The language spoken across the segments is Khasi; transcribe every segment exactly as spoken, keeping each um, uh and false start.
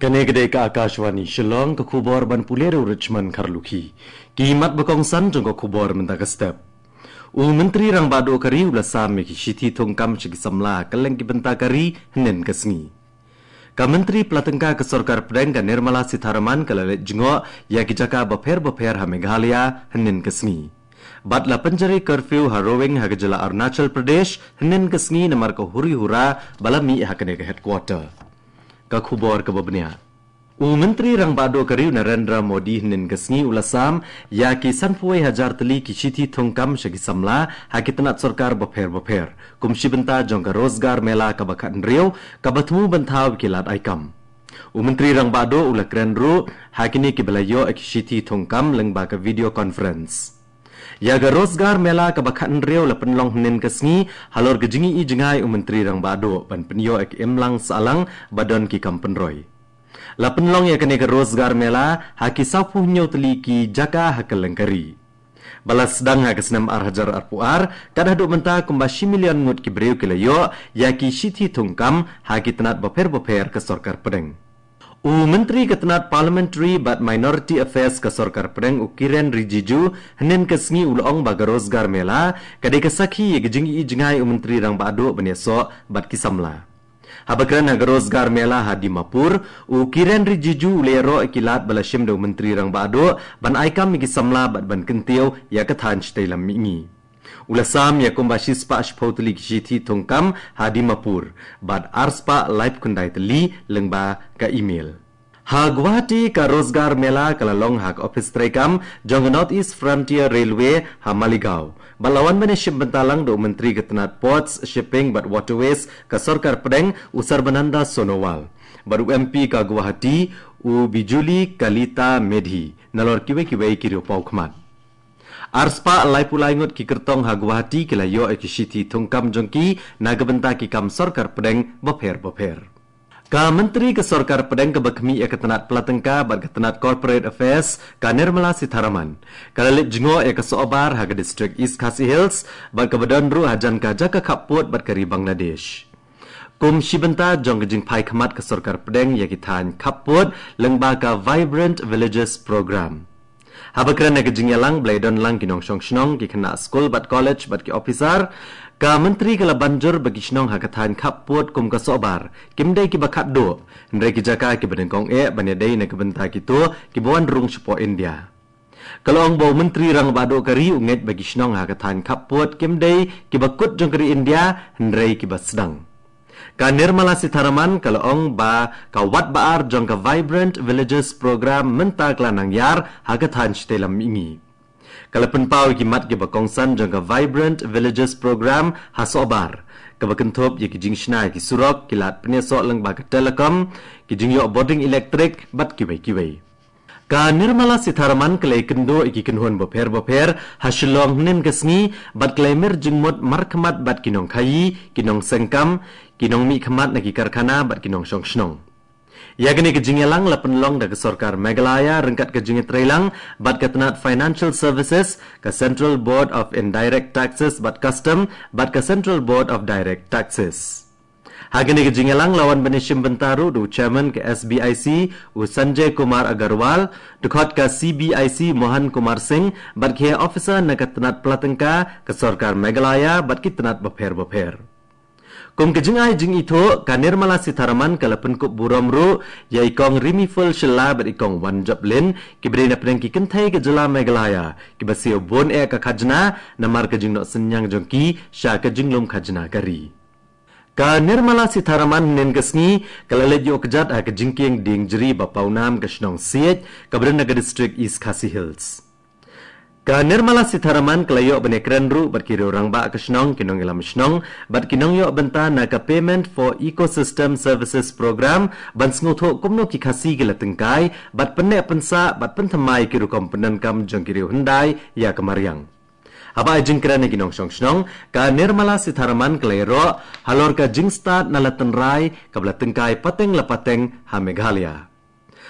Kane ka dei ka Akashvani Shillong, ka khubor ban pule da u Richmond Kharlukhi. Ki mat ba kongsan jong ka khubor mynta ka step. U Myntri Rangbah Duh ka ri u la sam ïa ki shithi thungkam sha ki samla ha kylleng ki bynta ka ri hynnin ka sngi. Ka Myntri Pla Tyngka ka Sorkar Pdeng ka Nirmala Sitharaman ka la leit jngoh ïa ki jaka bapher bapher ha Meghalaya hynnin ka sngi. Bad la pynjari curfew ha Roing ha ka jylla Arunachal Pradesh hynnin ka sngi namar ka huri hura ba la mih ha kane ka headquarter. Ka khubor kaba bniah. U Myntri Rangbah Duh ka ri u Narendra Modi hynnin ka sngi u la sam ïa ki sanphew hajar tylli ki shithi thungkam sha ki samla ha ki tnat sorkar bapher bapher, kum shi bynta jong ka Rozgar Mela kaba khathynriew kaba thmu ban thaw ïa ki lad ai kam. U Myntri Rangbah Duh u la kren ruh ha kine kiba la ïoh ïa ki shithi thungkam lyngba ka video conference. Ïa ka Rozgar Mela kaba khathynriew la pynlong hynnin ka sngi halor ka jingïohi jngai u Myntri Rangbah Duh ban pynïoh ïa ka imlang sahlang ba don ki kam pynroi. La pynlong ïa kane ka Rozgar Mela ha ki sawphew hynñiew tylli ki jaka ha kylleng ka ri. Ba la sdang ha ka snem ar hajar arphew ar, kat haduh mynta kumba shi million ngut ki briew ki la ïoh ïa ki shithi thungkam ha ki tnat bapher bapher ka Sorkar Pdeng. U Myntri ka tnat Parliamentary bad Minority Affairs ka Sorkar Pdeng u Kiren Rijiju hynnin ka sngi u la ong ba ka Rozgar Mela ka dei ka sakhi ïa ka jingïohi jngai u Myntri Rangbah Duh ban ïasoh bad ki samla. Haba kren ha ka Rozgar Mela ha Dimapur, u Kiren Rijiju u la ïaroh ïa ki lad ba la shim da u Myntri Rangbah Duh ban ai kam ïa ki samla bad ban kyntiew ïa ka thaiñ shatei lam mihngi. U la sam ïa kumba shispah shiphew tylli ki shithi thungkam ha Dimapur bad arspah laiphew khyndai tylli lyngba ka email. Ha Guwahati ka Rozgar Mela ka la long ha ka ophis treikam jong ka North East Frontier Railway ha Maligaon. Bad la wan ban ïashim bynta lang da u Myntri ka tnat Ports, Shipping bad Waterways ka Sorkar Pdeng u Sarbananda Sonowal. Bad u M P ka Guwahati u Bijuli Kalita Medhi nalor kiwei kiwei ki riewpawkhmat. Arspah laiphew lai ngut ki kyrtong ha Guwahati ki la ïoh ïa ki shithi thungkam jong ki na ka bynta ki kam Sorkar Pdeng bapher bapher. Ka Myntri ka Sorkar Pdeng kaba khmih ïa ka tnat Pla Tyngka bad ka tnat Corporate Affairs ka Nirmala Sitharaman ka la leit jngoh ïa ka Sohbar ha ka District East Khasi Hills bad kaba don ruh hajan ka jaka khappud bad ka ri Bangladesh. Kum shi bynta jong ka jingphai khmat ka Sorkar Pdeng ïa ki thaiñ khappud lyngba ka Vibrant Villages Programme. Haba kren ha ka jingïalang ba la ïadon lang ki nongshong shnong, ki khynnah skul bad college bad ki officer, ka Myntri ka la ban jur ba ki shnong ha ka thaiñ khappud kum ka Sohbar kim dei kiba khatduh, hynrei ki jaka kiba nyngkong eh ban ïadei na ka bynta kito kiba wan rung shapoh India. Ka la ong ba u Myntri Rangbah Duh ka ri u ngeit ba ki shnong ha ka thaiñ khappud kim dei kiba kut jong ka ri India hynrei kiba sdang. Ka Nirmala Sitharaman ka la ong ba ka wad ba ar jong ka Vibrant Villages Programme mynta ka la nang ïar ha ka thaiñ shatei lam mihngi. Ka la pynpaw ïa ki mat kiba kongsan jong ka Vibrant Villages Programme ha Sohbar, kaba kynthup ïa ki jingshna ïa ki surok, ki lad pynïasoh lyngba ka telecom, ki jingïoh bording elektrik bad kiwei kiwei. Ka Nirmala Sitharaman ka la ïakynduh ïa ki kynhun bapher bapher ha Shillong hynnin ka sngi bad ka la ïamir jingmut markhmat bad ki nongkhaïi, ki nongseng kam, ki nongmihkhmat na ki karkhana bad ki nongshong shnong. Ïa kane ka jingïalang la pynlong da ka Sorkar Meghalaya ryngkat ka jingïatreilang bad ka tnat Financial Services, ka Central Board of Indirect Taxes bad Custom bad ka Central Board of Direct Taxes. Ha kane ka jingïalang la wan ban ïashim bynta ruh da u Chairman ka S B I C u Sanjay Kumar Agarwal, dkhot ka C B I C Mohan Kumar Singh bad ki officer na ka tnat Pla Tyngka ka Sorkar Meghalaya bad ki tnat bapher bapher. Kum ka jingai jingithuh, ka Nirmala Sitharaman ka la pynkup burom ruh ïa i Kong Rimiful Shylla bad i Kong Wanjoplin kiba dei na pdeng ki kynthei ka jylla Meghalaya kiba siew bun eh ka khajna namar ka jingnoh synñiang jong ki sha ka jinglum khajna ka ri. Ka Nirmala Sitharaman hynnin ka sngi ka la leit ïuh kjat ha ka jingkieng dieng jri ba pawnam ka shnong Siej kaba don ha ka District East Khasi Hills. Ka Nirmala Sitharaman ka la ïoh ban ïakren ruh bad ki riew rangbah ka shnong, ki nongïalam shnong bad ki nongïoh bynta na ka Payment for Ecosystem Services Programme ban sngewthuh kumno ki Khasi ki la tyngkai bad pynneh pynsah bad pynthymmai ki rukom pyndonkam jong ki riew hyndai ïa ka mariang. Haba ai jingkren ïa ki nongshong shnong, ka Nirmala Sitharaman ka la ïaroh halor ka jingstad na la tynrai kaba la tyngkai pateng la pateng ha Meghalaya.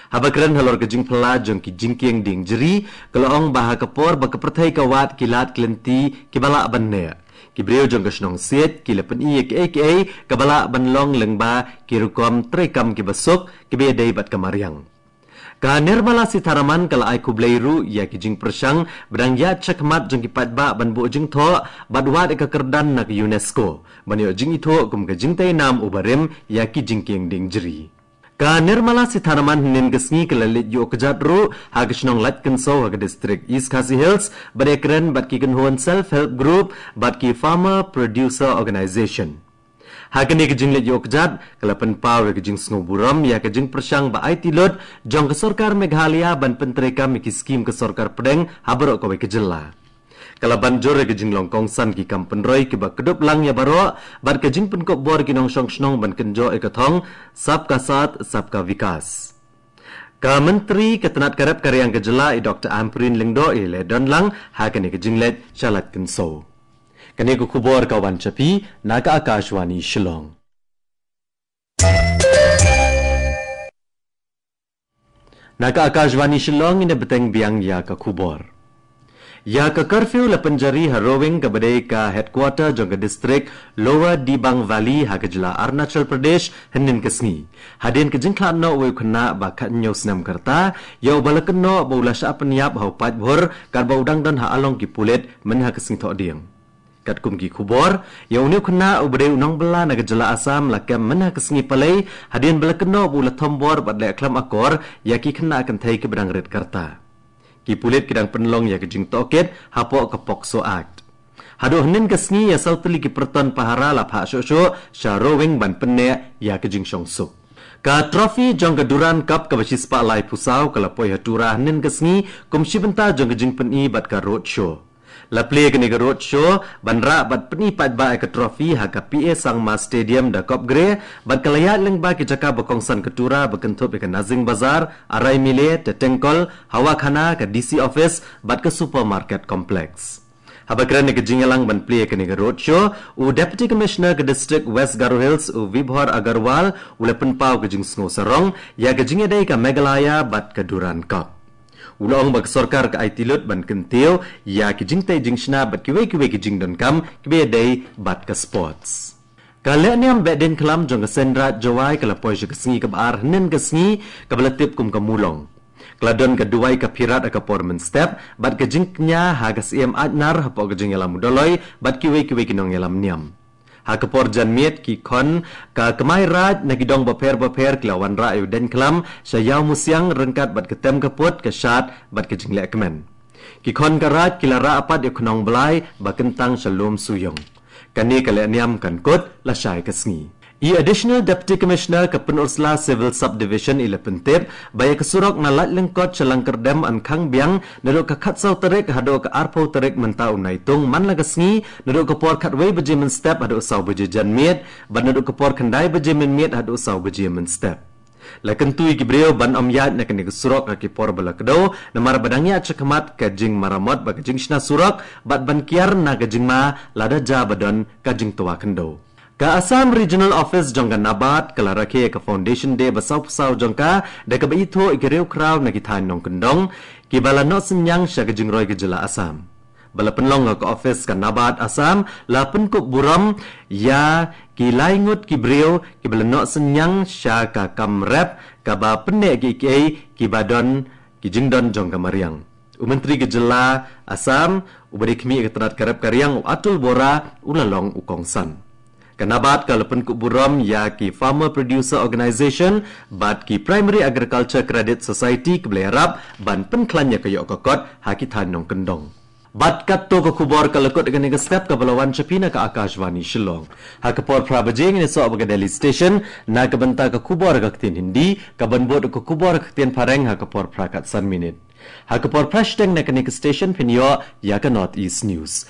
Haba kren halor ka jingphylla jong ki jingkieng dieng jri, ka la ong ba ha ka por ba ka pyrthei ka wad ki lad ki lynti kiba lah ban neh, Ki briew jong ka shnong Siej ki la pyni ïa kiei kiei kaba lah ban long lyngba ki rukom treikam kiba suk kiba ïadei bad ka mariang. Ka Nirmala Sitharaman ka la ai khublei ruh ïa ki jingpyrshang ba dang ïaid shakhmat jong ki paidbah ban buh jingthoh bad wad ïa ka kyrdan na ka UNESCO ban ïoh jingithuh kum ka jingtei nam uba rim ïa ki jingkieng dieng jri. Ka Nirmala Sitharaman hynnin ka sngi ka la leit ïuh kjat ruh ha ka shnong Laitkynsaw ha ka distrik East Khasi Hills bad ïakren bad ki kynhun self help group bad ki farmer producer organization. Ha kane ka jingleit ïuh kjat ka la pynpaw ïa ka jingsngewburom ïa ka jingpyrshang ba aiti lut jong ka sorkar Meghalaya ban pyntreikam ïa ki skim ka sorkar pdeng ha baroh kawei ka jylla. Ka la ban jur ïa ka jinglong kongsan ki kam pynroi kiba kdup lang ïa baroh bad ka jingpynkup bor ki nongshong shnong ban kynjoh ïa ka thong Sabka Saath Sabka Vikas. Ka Myntri ka tnat ka rep ka riang ka jylla i Dr Ampareen Lyngdoh i la don lang ha kane ka jingleit sha Laitkynsaw. Kane ka khubor ka wan sha phi na ka Akashvani Shillong. Na ka Akashvani Shillong ngin ïa bteng biang ïa ka khubor. Ïa ka curfew la pynjari ha Rowing kaba dei ka headquarter jong ka distrik Lower Dibang Valley ha ka jylla Arunachal Pradesh hynnin ka sngi. Hadien ka jingkhlad noh uwei u khynnah ba khathynñiew snem ka rta ïa uba la kynnoh ba u la shah pynïap ha u paidbhur katba u dang don ha along ki pulit mynha ka sngi Thohdieng. Katkum ki khubor, ïa une u khynnah uba dei u nongbylla na ka jylla Assam la kem mynha ka sngi Palei hadien ba la kynnoh ba u la thombor bad leh khlem akor ïa ki khynnah kynthei kiba dang rit ka rta. Ki pulit ki dang pynlong ïa ka jingtohkit hapoh ka POCSO Act. Haduh hynnin ka sngi ïa saw tylli ki pyrton pahara la phah shuh shuh sha Rowing ban pynneh ïa ka jingshongsuk. Ka trophy jong ka Durand Cup kaba shispah laiphew saw ka la poi ha Tura hynnin ka sngi kum shi bynta jong ka jingpyni bad ka road show. La plie kane ka road show ban rah bad pyni paidbah ïa ka trophy ha ka P A Sangma Stadium da Kopgre bad ka la ïaid lyngba ki jaka ba kongsan ka Tura ba kynthup ïa ka Nazing Bazar, Araimile, Tetengkol, Hawakhana, ka D C office bad ka supermarket complex. Haba kren ïa ka jingïalang ban plie kane ka road show, u Deputy Commissioner ka District West Garo Hills u Vibhor Agarwal u la pynpaw ka jingsngew sarong ïa ka jingïadei ka Meghalaya bad ka Durand Cup. U la ong ba ka sorkar ka aiti lut ban kyntiew ïa ki jingtei jingshna bad kiwei kiwei ki jingdonkam kiba ïadei bad ka sports. Ka lehniam Behdeiñkhlam jong ka Seiñ Raij Jowai ka la poi sha ka sngi kaba ar hynnin ka sngi kaba la tip kum ka Mulong. Ka la don ka duwai ka phirat ha ka por mynstep bad ka jingkñia ha ka Syiem Aitnar hapoh ka jingïalam u Doloi bad kiwei kiwei ki nongïalam niam. Ha ka por janmiet ki khon ka kmai raij na ki dong bapher bapher ki la wanrah ïa u Deiñkhlam sha Ïawmusiang ryngkat bad ka tem ka put, ka shad bad ka jingleh kmen. Ki khon ka raij ki la rah pat ïa u Khnong Blai ba kyntang sha Lumsyiung. Kane ka lehniam kan kut lashai ka sngi. I Additional Deputy Commissioner ka Pynursla Civil Subdivision i la pyntip ba ïa ka surok na Laitlyngkot sha Langkyrdem yn khang biang naduh ka khatsaw tarik haduh ka arphew tarik mynta u Naitung man la ka sngi naduh ka por khatwei baje mynstep haduh saw baje janmiet bad naduh ka por khyndai baje mynmiet haduh saw baje mynstep. La kyntu ïa ki briew ban ym ïaid na kane ka surok ha ki por ba la kdew namar ba dang ïaid shakhmat ka jingmaramot bad ka jingshna surok bad ban kiar na ka jingma lada jia ba don ka jingtwa khyndew. Ka Assam Regional Office jong ka NABARD ka la rakhe ïa ka Foundation Day ba sawphew saw jong ka da kaba ithuh ïa ki riewkhraw na ki thaiñ nongkyndong kiba la noh synñiang sha ka jingroi ka jylla Assam. Ba la pynlong ha ka office ka NABARD Assam la pynkup burom ïa ki lai ngut ki briew kiba la noh synñiang sha ka kam rep kaba pynneh kiei kiei kiba don ki jingdon jong ka mariang. U Myntri ka jylla Assam uba dei khmih ïa ka tnat ka rep ka riang u Atul Bora u la long u kongsan. Ka NABARD ka la pynkup burom ïa ki Farmer Producer Organization bad ki Primary Agriculture Credit Society kiba la ïarap ban pynkhlaiñ ïa ka ïoh ka kot ha ki thaiñ nongkyndong. Bad katto ka khubor ka la kut ïa kane ka step kaba la wan sha phi na ka Akashvani Shillong. Ha ka por phra baje ngin ïasoh bad ka Delhi Station na ka bynta ka khubor ha ka ktien Hindi, kaban bud ka khubor ha ka ktien Phareng ha ka por phra khatsan minit. Ha ka por phra shiteng na kane ka station phin ïoh ïa ka North East News.